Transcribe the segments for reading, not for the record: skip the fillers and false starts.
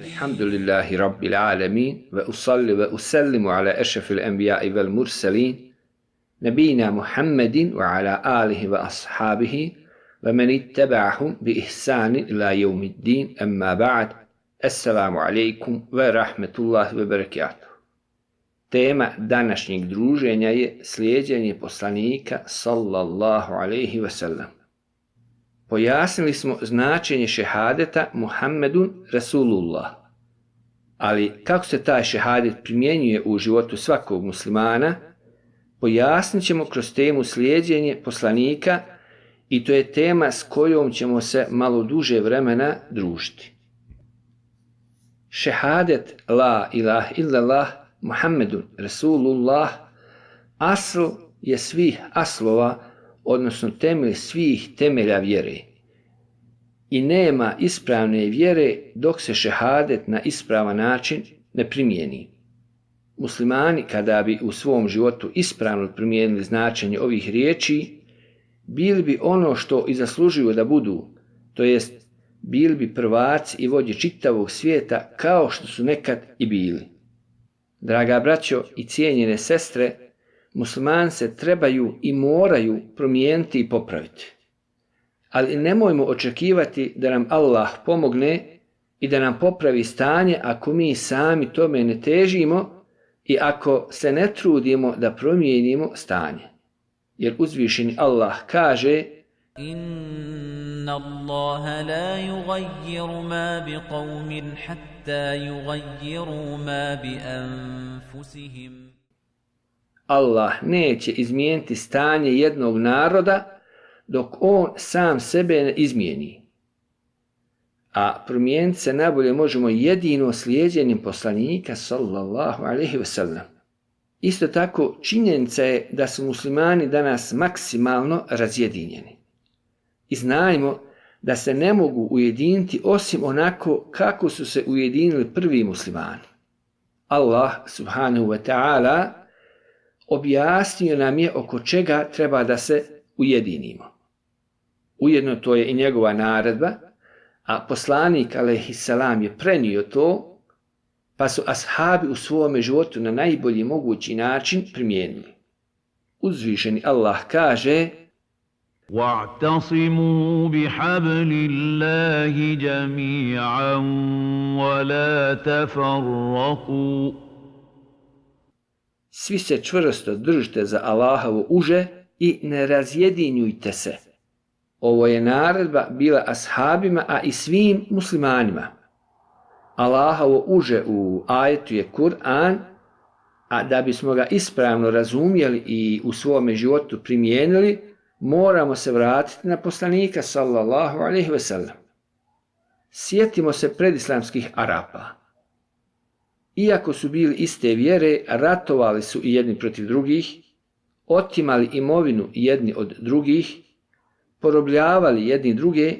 Alhamdulillahi Rabbil Alamin ve usalli ve usallimu ala eşrefil enbiya'i vel murselin nebina Muhammedin ve ala alihi ve ashabihi ve men ittaba'ahum bi ihsanin ila yevmiddin emma ba'd. Assalamu alaikum ve rahmetullahi ve berekatuh. Tema današnjeg druženja je slijeđenje poslanika sallallahu alaihi ve sellem. Pojasnili smo značenje šehadeta Muhammedun Rasulullah. Ali kako se taj šehadet primjenjuje u životu svakog muslimana, pojasnit ćemo kroz temu slijeđenje poslanika i to je tema s kojom ćemo se malo duže vremena družiti. Šehadet la ilaha illallah Muhammedun Rasulullah asl je svih aslova, odnosno temelj svih temelja vjere. I nema ispravne vjere dok se šehadet na ispravan način ne primijeni. Muslimani kada bi u svom životu ispravno primijenili značenje ovih riječi, bili bi ono što i zaslužuju da budu, to jest bili bi prvaci i vođe čitavog svijeta kao što su nekad i bili. Draga braćo i cijenjene sestre, muslimani se trebaju i moraju promijeniti i popraviti. Ali nemojmo očekivati da nam Allah pomogne i da nam popravi stanje ako mi sami tome ne težimo i ako se ne trudimo da promijenimo stanje. Jer uzvišeni Allah kaže: Inna Allaha la yugayyiru ma bi qawmin hatta yugayyiru ma bi anfusihim. Allah neće izmijeniti stanje jednog naroda dok on sam sebe ne izmijeni. A promijeniti se najbolje možemo jedino slijeđenjem poslanika sallallahu alejhi ve sellem. Isto tako činjenica je da su muslimani danas maksimalno razjedinjeni. I znajmo da se ne mogu ujediniti osim onako kako su se ujedinili prvi muslimani. Allah subhanahu wa ta'ala objasnio nam je oko čega treba da se ujedinimo. Ujedno to je i njegova naredba, a poslanik alejhiselam je prenio to, pa su ashabi u svome životu na najbolji mogući način primijenili. Uzvišeni Allah kaže: وَاعْتَصِمُوا بِحَبْلِ اللَّهِ جَمِيعًا وَلَا تَفَرَّقُوا. Svi se čvrsto držite za Allahovo uže i ne razjedinjujte se. Ovo je naredba bila ashabima, a i svim muslimanima. Allahovo uže u ajetu je Kur'an, a da bismo ga ispravno razumjeli i u svome životu primijenili, moramo se vratiti na poslanika sallallahu alejhi ve sellem. Sjetimo se predislamskih Arapa. Iako su bili iste vjere, ratovali su i jedni protiv drugih, otimali imovinu jedni od drugih, porobljavali jedni druge,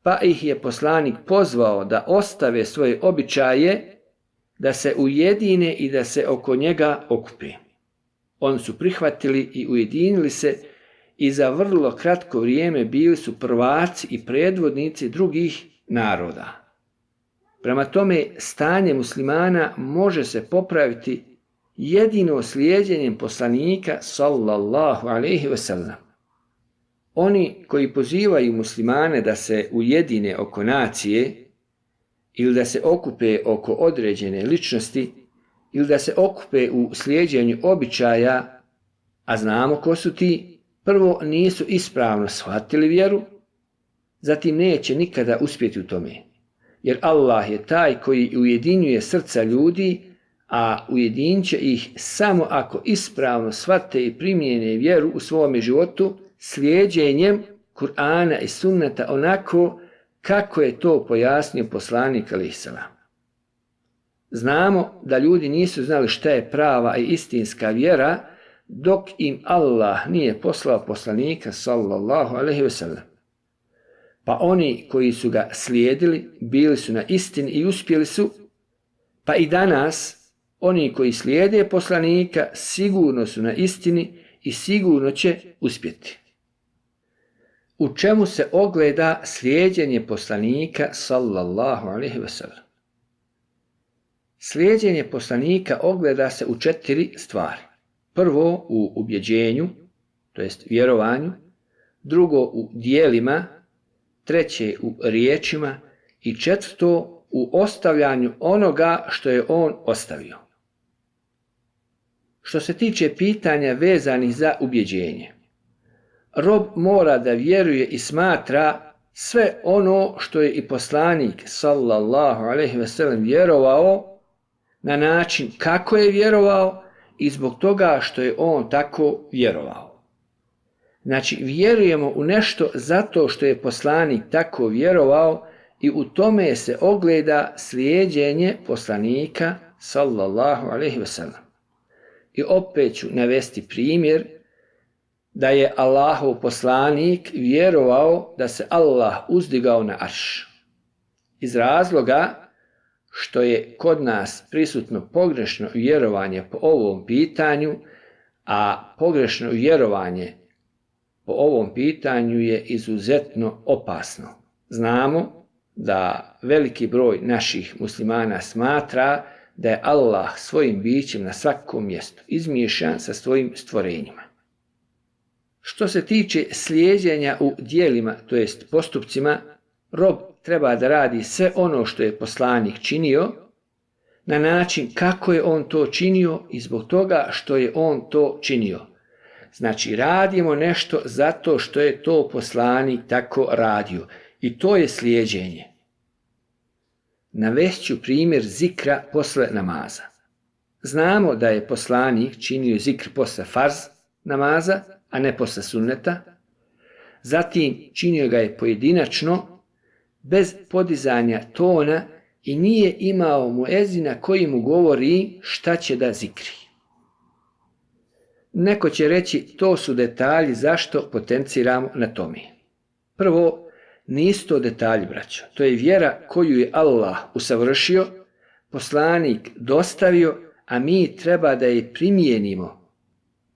pa ih je poslanik pozvao da ostave svoje običaje, da se ujedine i da se oko njega okupe. Oni su prihvatili i ujedinili se i za vrlo kratko vrijeme bili su prvaci i predvodnici drugih naroda. Prema tome, stanje muslimana može se popraviti jedino slijeđenjem poslanika sallallahu alejhi ve sellem. Oni koji pozivaju muslimane da se ujedine oko nacije ili da se okupe oko određene ličnosti ili da se okupe u slijeđenju običaja, a znamo ko su ti, prvo nisu ispravno shvatili vjeru, zatim neće nikada uspjeti u tome. Jer Allah je taj koji ujedinjuje srca ljudi, a ujedinit će ih samo ako ispravno shvate i primijene vjeru u svome životu slijeđenjem Kur'ana i sunneta onako kako je to pojasnio poslanik alejhiselam. Znamo da ljudi nisu znali šta je prava i istinska vjera dok im Allah nije poslao poslanika sallallahu alejhi ve sellem. Pa oni koji su ga slijedili bili su na istini i uspjeli su, pa i danas oni koji slijede poslanika sigurno su na istini i sigurno će uspjeti. u čemu se ogleda slijeđenje poslanika sallallahu alejhi ve sellem. Slijeđenje poslanika ogleda se u 4 stvari. Prvo u ubjeđenju, to jest vjerovanju, drugo u djelima, treće u riječima i četvrto u ostavljanju onoga što je on ostavio. Što se tiče pitanja vezanih za ubjeđenje, rob mora da vjeruje i smatra sve ono što je i poslanik sallallahu alejhi ve sellem vjerovao na način kako je vjerovao i zbog toga što je on tako vjerovao. Znači, vjerujemo u nešto zato što je poslanik tako vjerovao i u tome se ogleda slijeđenje poslanika sallallahu alejhi ve sellem. I opet ću navesti primjer da je Allahov poslanik vjerovao da se Allah uzdigao na arš. Iz razloga što je kod nas prisutno pogrešno vjerovanje po ovom pitanju, a pogrešno vjerovanje po ovom pitanju je izuzetno opasno. Znamo da veliki broj naših muslimana smatra da je Allah svojim bićem na svakom mjestu izmiješan sa svojim stvorenjima. Što se tiče slijeđenja u djelima, to jest postupcima, rob treba da radi sve ono što je poslanik činio na način kako je on to činio i zbog toga što je on to činio. Znači, radimo nešto zato što je to poslanik tako radio i to je slijeđenje. Navest ću primjer zikra posle namaza. Znamo da je poslanik činio zikr posle farz namaza, a ne posle sunneta. Zatim činio ga je pojedinačno, bez podizanja tona i nije imao muezina koji mu govori šta će da zikri. Neko će reći, to su detalji, zašto potenciramo na tome. Prvo, nisu to detalji, braćo. To je vjera koju je Allah usavršio, poslanik dostavio, a mi treba da je primijenimo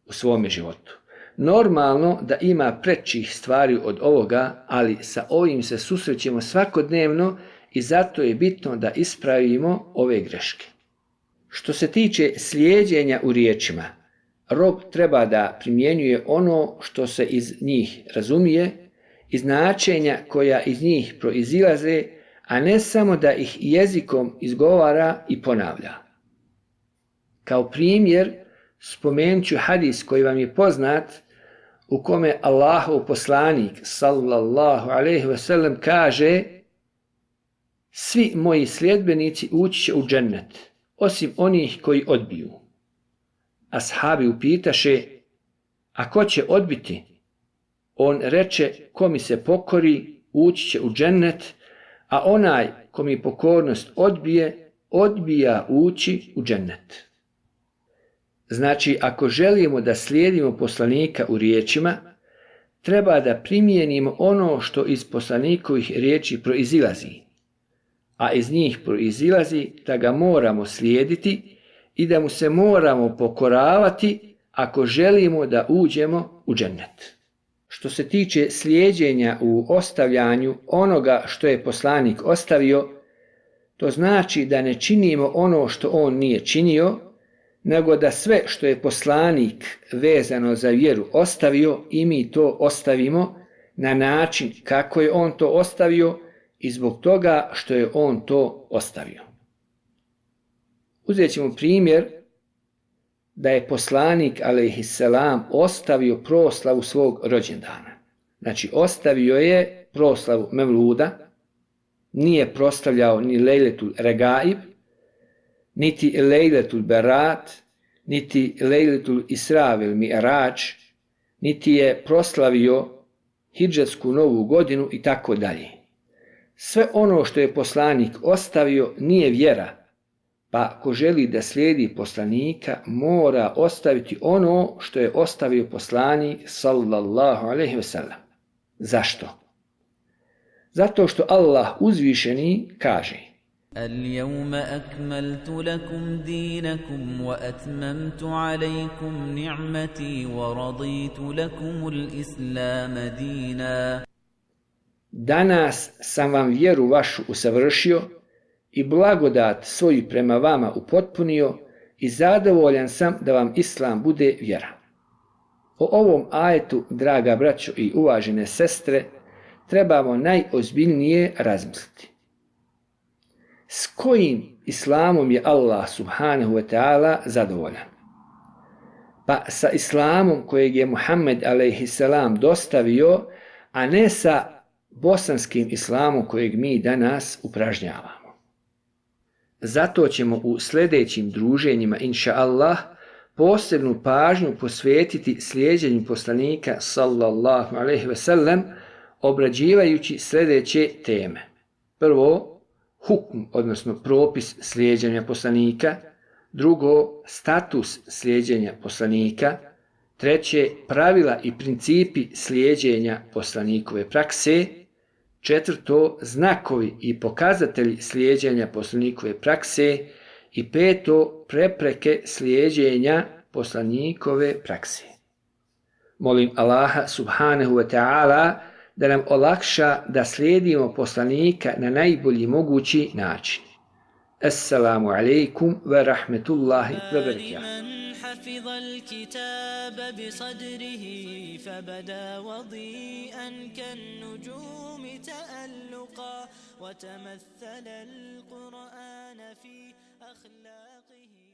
u svome životu. Normalno da ima prečih stvari od ovoga, ali sa ovim se susrećemo svakodnevno i zato je bitno da ispravimo ove greške. Što se tiče slijeđenja u riječima, rob treba da primjenjuje ono što se iz njih razumije i značenja koja iz njih proizilaze, a ne samo da ih jezikom izgovara i ponavlja. Kao primjer spomenut ću hadis koji vam je poznat, u kome Allahov poslanik sallallahu alejhi ve sellem kaže: svi moji sljedbenici ući će u džennet, osim onih koji odbiju. Ashabi upitaše: a ko će odbiti? On reče: ko mi se pokori, ući će u džennet, a onaj ko mi pokornost odbije, odbija ući u džennet. Znači, ako želimo da slijedimo poslanika u riječima, treba da primijenimo ono što iz poslanikovih riječi proizilazi, a iz njih proizilazi da ga moramo slijediti i da mu se moramo pokoravati ako želimo da uđemo u džennet. Što se tiče slijeđenja u ostavljanju onoga što je poslanik ostavio, to znači da ne činimo ono što on nije činio, nego da sve što je poslanik vezano za vjeru ostavio i mi to ostavimo na način kako je on to ostavio i zbog toga što je on to ostavio. Uzet ćemo primjer da je poslanik alejhisselam ostavio proslavu svog rođendana. Znači, ostavio je proslavu Mevluda, nije proslavljao ni Lejletul Regaib, niti Lejletul Berat, niti Lejletul Isra vel Mi'rađ, niti je proslavio hidžetsku novu godinu i tako dalje. Sve ono što je poslanik ostavio nije vjera, pa ako želi da slijedi poslanika, mora ostaviti ono što je ostavio poslanik sallallahu alejhi ve sellem. Zašto? Zato što Allah uzvišeni kaže: اليوم أكملت لكم دينكم وأتممت عليكم نعمتي ورضيت لكم الإسلام دينا. danas sam vam vjeru vašu usavršio i blagodat svoju prema vama upotpunio i zadovoljan sam da vam Islam bude vjera. O ovom ajetu, draga braćo i uvažene sestre, trebamo najozbiljnije razmisliti. S kojim Islamom je Allah subhanahu wa ta'ala zadovoljan? Pa sa Islamom kojeg je Muhammed a.s. dostavio, a ne sa bosanskim Islamom kojeg mi danas upražnjavamo. Zato ćemo u sljedećim druženjima, inša Allah, posebnu pažnju posvetiti slijeđenju poslanika sallallahu alejhi ve sellem, obrađivajući sljedeće teme. Prvo, hukm, odnosno propis slijeđenja poslanika. Drugo, status slijeđenja poslanika. Treće, pravila i principi slijeđenja poslanikove prakse. Četvrto, znakovi i pokazatelji slijeđenja poslanikove prakse. I peto, prepreke slijeđenja poslanikove prakse. Molim Allaha subhanahu wa ta'ala da nam olakša da slijedimo poslanika na najbolji mogući način. Assalamu alaikum wa rahmetullahi wa barakatuh. حفظ الكتاب بصدره فبدا وضيئا كالنجوم تألقا وتمثل القرآن في أخلاقه